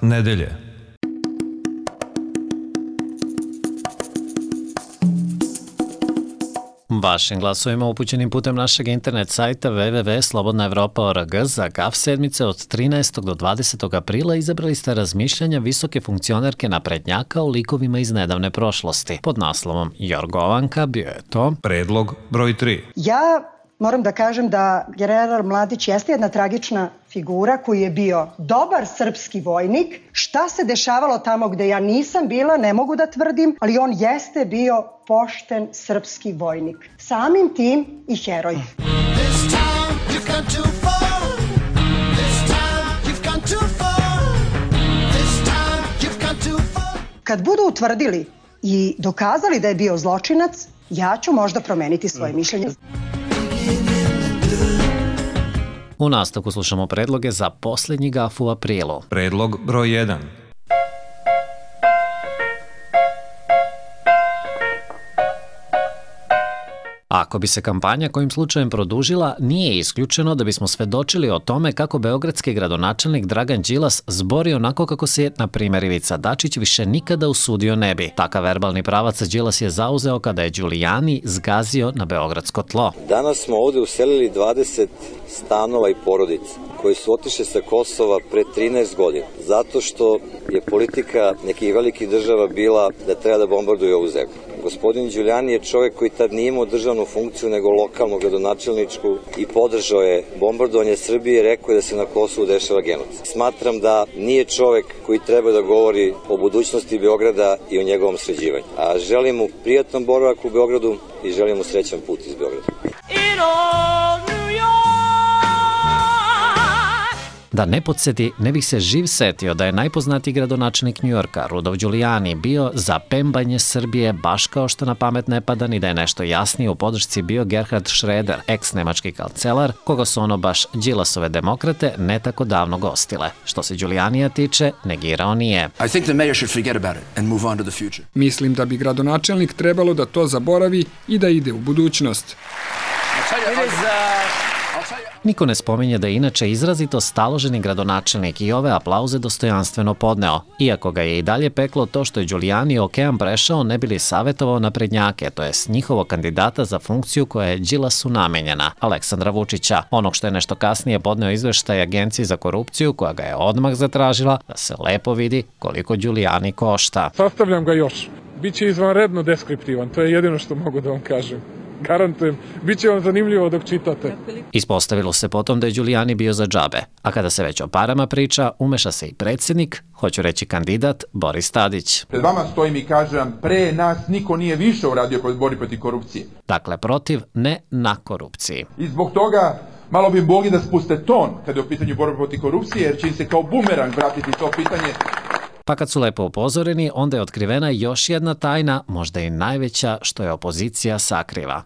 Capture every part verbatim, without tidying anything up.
nedelje. Vašim glasovima upućenim putem našeg internet sajta w w w tačka slobodna evropa tačka org za G A F sedmice od trinaestog do dvadesetog aprila izabrali ste razmišljanja visoke funkcionerke naprednjaka o likovima iz nedavne prošlosti. Pod naslovom Jorgovanka bio je to predlog broj tri. Ja moram da kažem da general Mladić jeste jedna tragična figura koji je bio dobar srpski vojnik. Šta se dešavalo tamo gde ja nisam bila, ne mogu da tvrdim, ali on jeste bio pošten srpski vojnik. Samim tim i heroj. Kad budu utvrdili i dokazali da je bio zločinac, ja ću možda promeniti svoje mišljenje. U nastavku slušamo predloge za posljednji G A F u aprilu. Predlog broj jedan. Ako bi se kampanja kojim slučajem produžila, nije isključeno da bismo svedočili o tome kako beogradski gradonačelnik Dragan Đilas zbori onako kako se, na primjer, Ivica Dačić više nikada usudio ne bi. Takav verbalni pravac Đilas je zauzeo kada je Đulijani zgazio na beogradsko tlo. Danas smo ovde uselili dvadeset stanova i porodica koji su otišli sa Kosova pre trinaest godina, zato što je politika nekih velikih država bila da treba da bombarduju ovu zemlju. Gospodin Đulijani je čovjek koji tad nije imao državnu funkciju nego lokalnu gradonačelničku i podržao je bombardovanje Srbije i rekao je da se na Kosovu dešava genocid. Smatram da nije čovjek koji treba da govori o budućnosti Beograda i o njegovom sređivanju. A želim mu prijatan boravak u Beogradu i želim mu srećan put iz Beograda. Da ne podsjeti, ne bih se živ setio da je najpoznatiji gradonačelnik Njujorka, Rudolf Giuliani, bio za pembanje Srbije baš kao što na pamet ne pada ni da je nešto jasnije u podršci bio Gerhard Schröder, ex-nemački kancelar, koga su ono baš Đilasove demokrate ne tako davno gostile. Što se Giulianija tiče, negirao nije. Mislim da bi gradonačelnik trebalo da to zaboravi i da ide u budućnost. Niko ne spominje da je inače izrazito staloženi gradonačelnik i ove aplauze dostojanstveno podneo, iako ga je i dalje peklo to što je Giuliani okean prešao ne bi li savjetovao naprednjake, to jest njihovog kandidata za funkciju koja je Đilasu namenjena, Aleksandra Vučića, onog što je nešto kasnije podneo izveštaj Agenciji za korupciju koja ga je odmah zatražila da se lepo vidi koliko Giuliani košta. Sastavljam ga još. Biće izvanredno deskriptivan, to je jedino što mogu da vam kažem. Garantujem, bit će vam zanimljivo dok čitate. Ispostavilo se potom da je Giuliani bio za džabe, a kada se već o parama priča, umeša se i predsjednik, hoću reći kandidat, Boris Tadić. Pred vama stojim i kažem, pre nas niko nije više uradio kod borbe protiv korupcije. Dakle, protiv, ne na korupciji. I zbog toga malo bi mogli da spuste ton kada je u pitanju borbe protiv korupcije, jer će im se kao bumerang vratiti to pitanje. Pa kad su lepo upozoreni, onda je otkrivena još jedna tajna, možda i najveća, što je opozicija sakriva.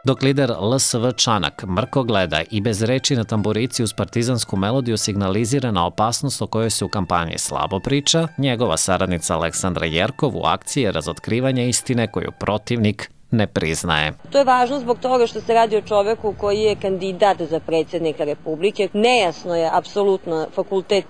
Dok lider L S V Čanak mrko gleda i bez reči na tamburici uz partizansku melodiju signalizira na opasnost o kojoj se u kampanji slabo priča, njegova saradnica Aleksandra Jerkov u akciji je razotkrivanje istine koju protivnik ne priznaje. To je važno zbog toga što se radi o čoveku koji je kandidat za predsjednika Republike. Nejasno je apsolutno fakultet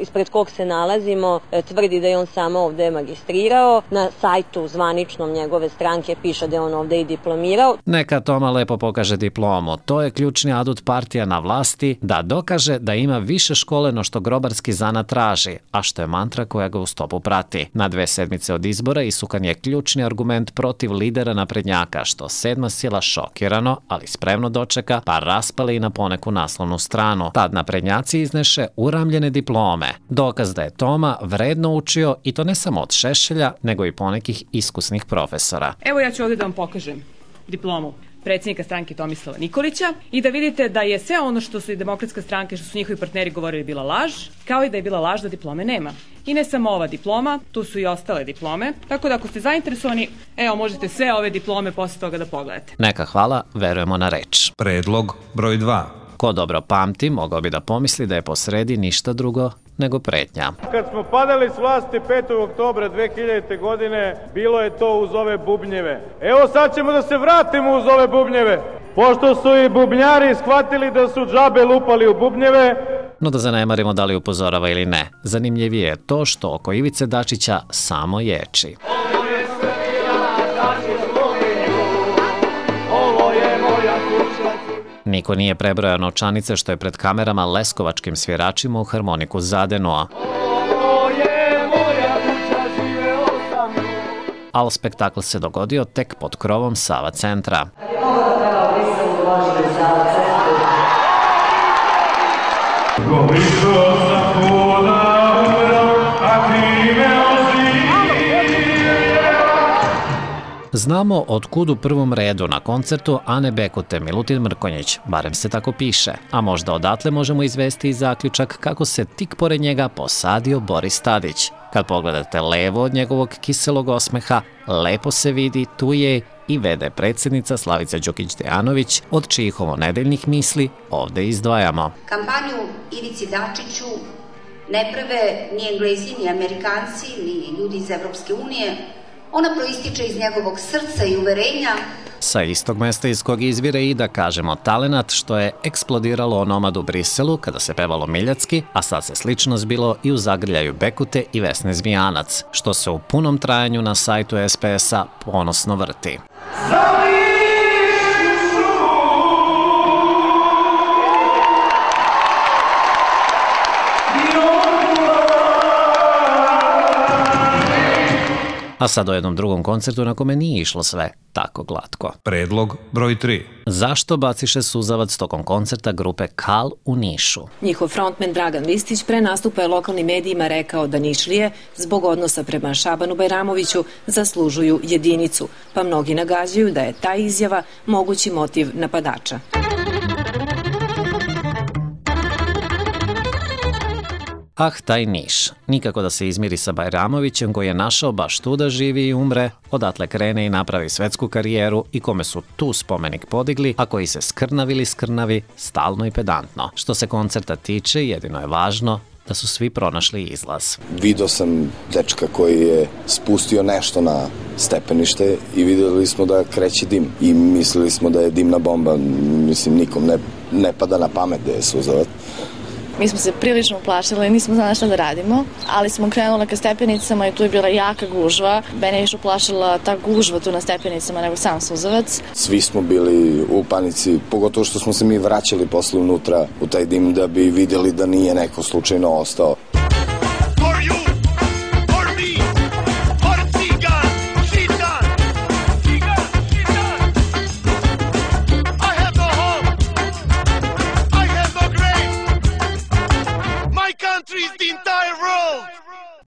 ispred kog se nalazimo, tvrdi da je on samo ovde magistrirao. Na sajtu zvaničnom njegove stranke piše da je on ovde i diplomirao. Neka Toma lepo pokaže diplomu. To je ključni adut partija na vlasti, da dokaže da ima više škole no što grobarski zanat traži, a što je mantra koja ga u stopu prati. Na dve sedmice od izbora isukan je ključni argument protiv lidera naprednjaka, što sedma sila šokirano, ali spremno dočeka, pa raspali i na poneku naslovnu stranu. Tad naprednjaci izneše uramljene diplome. Dokaz da je Toma vredno učio i to ne samo od Šešelja, nego i ponekih iskusnih profesora. Evo ja ću ovdje da vam pokažem diplomu predsjednika stranke Tomislava Nikolića i da vidite da je sve ono što su i demokratska stranka, što su njihovi partneri govorili bila laž, kao i da je bila laž da diplome nema. I ne samo ova diploma, tu su i ostale diplome, tako da ako ste zainteresovani, evo možete sve ove diplome posle toga da pogledate. Neka hvala, verujemo na reč. Predlog broj dva. Ko dobro pamti, mogao bi da pomisli da je posredi ništa drugo nego pretnja. Kad smo padali s vlasti petog oktobra dve hiljadite. godine, bilo je to uz ove bubnjeve. Evo sad ćemo da se vratimo uz ove bubnjeve. Pošto su i bubnjari shvatili da su džabe lupali u bubnjeve, no da zanemarimo da li upozorava ili ne. Zanimljivije je to što oko Ivice Dačića samo ječi. Niko nije prebrojao novčanice što je pred kamerama leskovačkim sviračima u harmoniku zadenuo. Ali spektakl se dogodio tek pod krovom Sava centra. Znamo od kud u prvom redu na koncertu Ane Bekute Milutin Mrkonjić, barem se tako piše, a možda odatle možemo izvesti i zaključak kako se tik pored njega posadio Boris Tadić. Kad pogledate levo od njegovog kiselog osmeha, lepo se vidi tu je i ve de predsjednica Slavica Đukić Dejanović, od čijih ovonedeljnih misli ovde izdvajamo. Kampanju Ivici Dačiću ne prave ni Englezi, ni Amerikanci, ni ljudi iz Evropske unije. Ona proističe iz njegovog srca i uverenja. Sa istog mesta iz kog izvire i, da kažemo, talenat što je eksplodiralo onomad u Briselu kada se pevalo Miljacki, a sad se slično zbilo i u zagrljaju Bekute i Vesne Zmijanac, što se u punom trajanju na sajtu es pe es-a ponosno vrti. A sad o jednom drugom koncertu na kome nije išlo sve tako glatko. Predlog broj tri. Zašto baciše suzavac tokom koncerta grupe Kal u Nišu? Njihov frontmen Dragan Listić pre nastupa je lokalnim medijima rekao da Nišlije, zbog odnosa prema Šabanu Bajramoviću, zaslužuju jedinicu, pa mnogi nagađaju da je ta izjava mogući motiv napadača. Ah, taj Niš. Nikako da se izmiri sa Bajramovićem koji je našao baš tu da živi i umre, odatle krene i napravi svetsku karijeru i kome su tu spomenik podigli, a koji se skrnavili skrnavi stalno i pedantno. Što se koncerta tiče, jedino je važno da su svi pronašli izlaz. Video sam dečka koji je spustio nešto na stepenište i videli smo da kreće dim i mislili smo da je dimna bomba. Mislim, nikom ne, ne pada na pamet da je suzavac. Mi smo se prilično uplašili, nismo znali šta da radimo, ali smo krenuli ka stepenicama i tu je bila jaka gužva. Mene je više uplašila ta gužva tu na stepenicama nego sam suzavac. Svi smo bili u panici, pogotovo što smo se mi vraćali posle unutra u taj dim da bi vidjeli da nije neko slučajno ostao.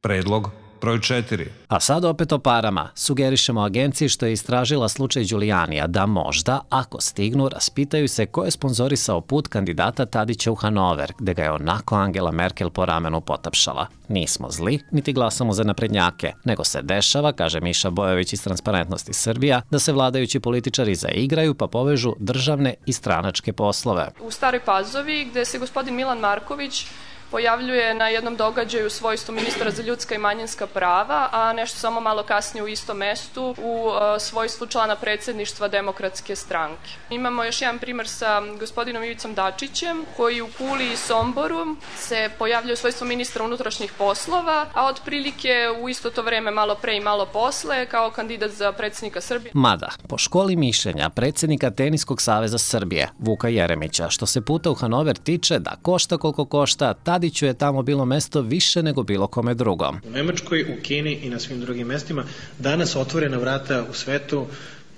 Predlog broj četiri. A sad opet o parama. Sugerišemo agenciji što je istražila slučaj Đulijanija da možda, ako stignu, raspitaju se ko je sponzorisao put kandidata Tadića u Hanover, gde ga je onako Angela Merkel po ramenu potapšala. Nismo zli, niti glasamo za naprednjake, nego se dešava, kaže Miša Bojović iz Transparentnosti Srbija, da se vladajući političari zaigraju pa povežu državne i stranačke poslove. U Staroj Pazovi, gde se gospodin Milan Marković pojavljuje na jednom događaju u svojstvu ministra za ljudska i manjinska prava, a nešto samo malo kasnije u istom mestu u svojstvu člana predsjedništva Demokratske stranke. Imamo još jedan primer sa gospodinom Ivicom Dačićem, koji u Kuli i Somboru se pojavljuje u svojstvu ministra unutrašnjih poslova, a otprilike u isto to vreme malo pre i malo posle kao kandidat za predsjednika Srbije. Mada, po školi mišljenja predsjednika Teniskog saveza Srbije, Vuka Jeremića, što se puta u Hanover tiče da košta koliko košta, Tadiću je tamo bilo mesto više nego bilo kome drugom. U Nemačkoj, u Kini i na svim drugim mestima danas otvorena vrata u svetu.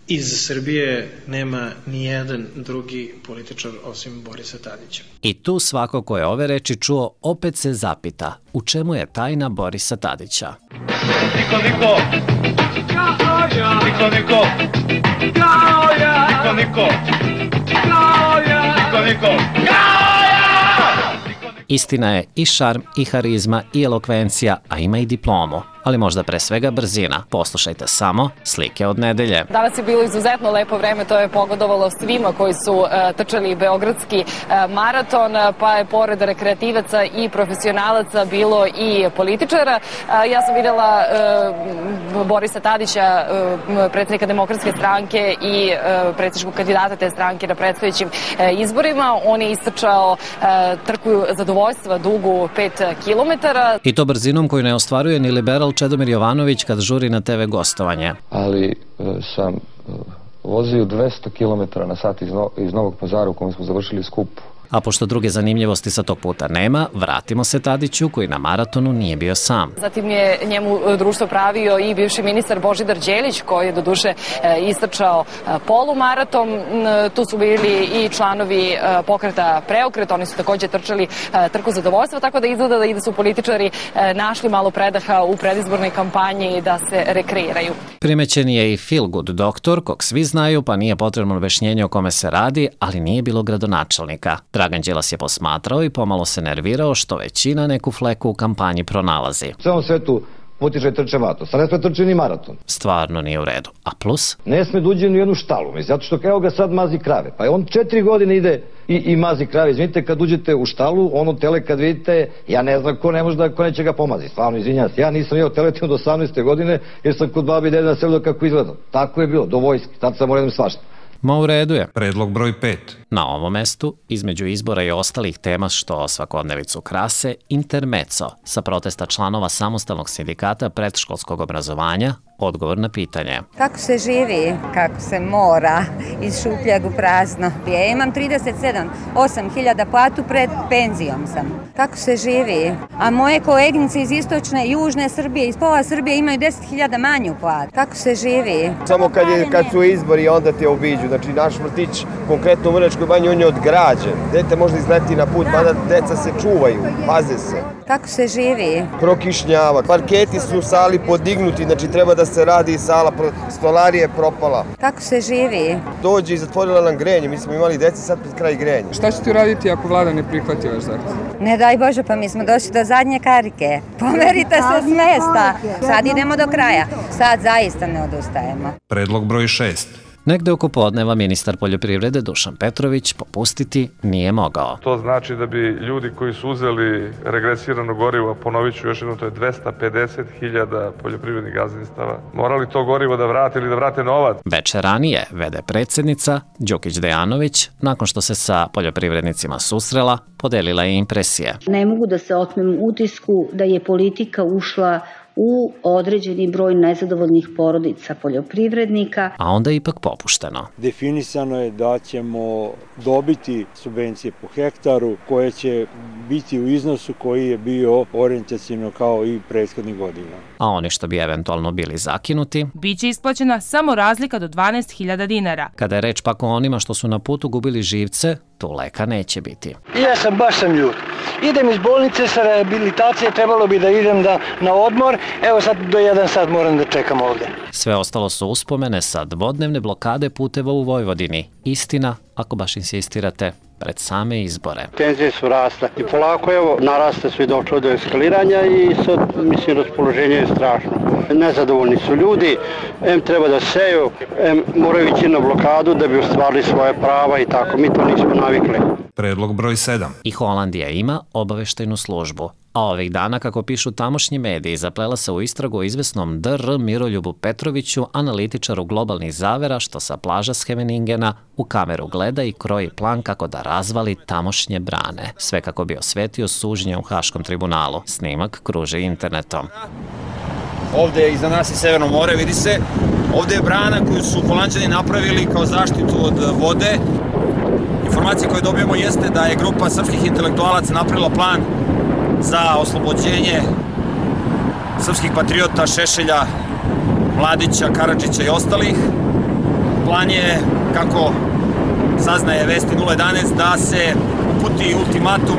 Iz Srbije nema ni jedan drugi političar osim Borisa Tadića. I tu svako ko je ove reči čuo opet se zapita u čemu je tajna Borisa Tadića. Niko, niko! Kao ja! Niko, niko! Kao ja! Niko, niko! Kao ja! Niko, niko! Kao ja! Istina je i šarm, i harizma, i elokvencija, a ima i diplomu. ali možda pre svega brzina. Poslušajte samo slike od nedelje. Danas je bilo izuzetno lepo vreme, to je pogodovalo svima koji su uh, trčali beogradski uh, maraton, pa je pored rekreativaca i profesionalaca bilo i političara. Uh, ja sam videla uh, Borisa Tadića, uh, predsjednika Demokratske stranke i uh, predsjedničkog kandidata te stranke na predstojećim uh, izborima. On je istrčao uh, trku zadovoljstva dugu pet kilometara. I to brzinom koju ne ostvaruje ni liberal Čedomir Jovanović kad žuri na te ve gostovanje. Ali uh, sam uh, vozio dvesta kilometara na sat iz, no, iz Novog Pazara u kojem smo završili skup. A pošto druge zanimljivosti sa tog puta nema, vratimo se Tadiću koji na maratonu nije bio sam. Zatim je njemu društvo pravio i bivši ministar Božidar Đelić koji je doduše istrčao polumaraton. Tu su bili i članovi pokreta Preokret, oni su također trčali trku zadovoljstva, tako da izgleda da su političari našli malo predaha u predizbornoj kampanji da se rekreiraju. Primećen je i feel good doktor, kog svi znaju pa nije potrebno objašnjenje o kome se radi, ali nije bilo gradonačelnika. Dragan Đilas je posmatrao i pomalo se nervirao što većina neku fleku u kampanji pronalazi. U celom svetu potiče trče maraton, sad ne sme trče ni maraton. Stvarno nije u redu. A plus? Ne sme da uđe ni u jednu štalu, zato što evo ga sad mazi krave. Pa on četiri godine ide i, i mazi krave. Izvinite, kad uđete u štalu, ono tele kad vidite, ja ne znam ko ne može da, ko neće ga pomazi. Stvarno, izvinjam se, ja nisam jeo teletinu do osamnaeste godine jer sam kod babi i dede nasebljao kako izgleda. Tako je bilo, do vojske, tad sam morao svašta. Ma u redu je. Predlog broj pet. Na ovom mestu, između izbora i ostalih tema što svakodnevicu krase, intermeco sa protesta članova samostalnog sindikata predškolskog obrazovanja, odgovor na pitanje. Kako se živi, kako se mora, iz šupljeg u prazno. Ja imam trideset sedam, osam hiljada platu, pred penzijom sam. Kako se živi? A moje koleginice iz istočne i južne Srbije, iz pola Srbije imaju deset hiljada manju platu. Kako se živi? Samo kad, je, kad su izbori onda te obiđu. Znači naš vrtić, konkretno u Vrnjačkoj banji, on je odgrađen. Dete može izleti na put, mada deca se čuvaju, paze se. Kako se živi? Prokišnjava. Parketi su u sali podignuti, znači treba da se radi sala, stolarija je propala. Kako se živi? Dođe i zatvorila nam grenje, mi smo imali deci sad pred kraj grenja. Šta ćete uraditi ako vlada ne prihvati vaš zahtev? Ne daj Bože, pa mi smo došli do zadnje karike. Pomerite se s mesta. Sad idemo do kraja. Sad zaista ne odustajemo. Predlog broj šest. Negde oko podneva ministar poljoprivrede Dušan Petrović popustiti nije mogao. To znači da bi ljudi koji su uzeli regresirano gorivo, ponovit ću još jedno, to je dvesta pedeset hiljada poljoprivrednih gazdinstava, morali to gorivo da vrate ili da vrate novac. Veče ranije vede predsjednica Đukić Dejanović, nakon što se sa poljoprivrednicima susrela, podelila je impresije. Ne mogu da se otmem utisku da je politika ušla u određeni broj nezadovoljnih porodica poljoprivrednika. A onda je ipak popušteno. Definisano je da ćemo dobiti subvencije po hektaru koje će biti u iznosu koji je bio orijentacijno kao i prethodnih godina. A oni što bi eventualno bili zakinuti, biće isplaćena samo razlika do dvanaest hiljada dinara. Kada je reč pak o onima što su na putu gubili živce, tu leka neće biti. Ja sam baš sam ljut. Idem iz bolnice sa rehabilitacije, trebalo bi da idem da, na odmor, evo sad do jedan sat moram da čekam ovde. Sve ostalo su uspomene sa dvodnevne blokade puteva u Vojvodini. Istina, ako baš insistirate, pred same izbore. Tenzije su rasle i polako evo naraste sve došlo do eskaliranja i sad mislim raspoloženje je strašno. Nezadovoljni su ljudi, em treba da seju, em moraju ići na blokadu da bi ostvarili svoje prava i tako, mi to nismo navikli. Predlog broj sedam. I Holandija ima obaveštajnu službu. A ovih dana, kako pišu tamošnji mediji, zaplela se u istragu o izvesnom D R Miroljubu Petroviću, analitičaru globalnih zavera, što sa plaža Scheveningena u kameru gleda i kroji plan kako da razvali tamošnje brane. Sve kako bi osvetio suđenje u Haškom tribunalu. Snimak kruži internetom. Ovde je iza nas i Severno more, vidi se. Ovde je brana koju su Holanđani napravili kao zaštitu od vode. Informacija koju dobijemo jeste da je grupa srpskih intelektualaca napravila plan za oslobođenje srpskih patriota Šešelja, Mladića, Karadžića i ostalih. Plan je, kako saznaje Vesti nula jedanaest, da se uputi ultimatum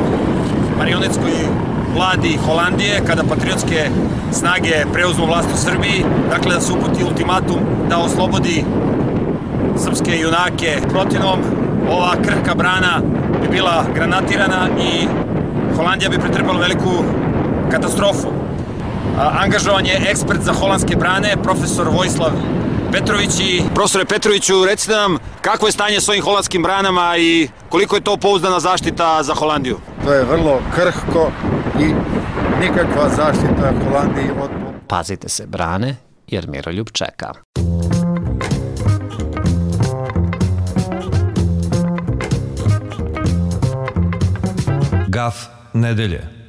marionetskoj vladi Holandije kada patriotske snage preuzmu vlast u Srbiji, dakle da se uputi ultimatum da oslobodi srpske junake. Protivnom, ova krhka brana bi bila granatirana i Holandija bi pretrpela veliku katastrofu. Angažovan je ekspert za holandske brane, profesor Vojislav Petrović. I profesore Petroviću, recite nam kakvo je stanje s ovim holandskim branama i koliko je to pouzdana zaštita za Holandiju? To je vrlo krhko i nikakva zaštita Holandiji od... Pazite se brane, jer Miroljub čeka. Gaf nedelje.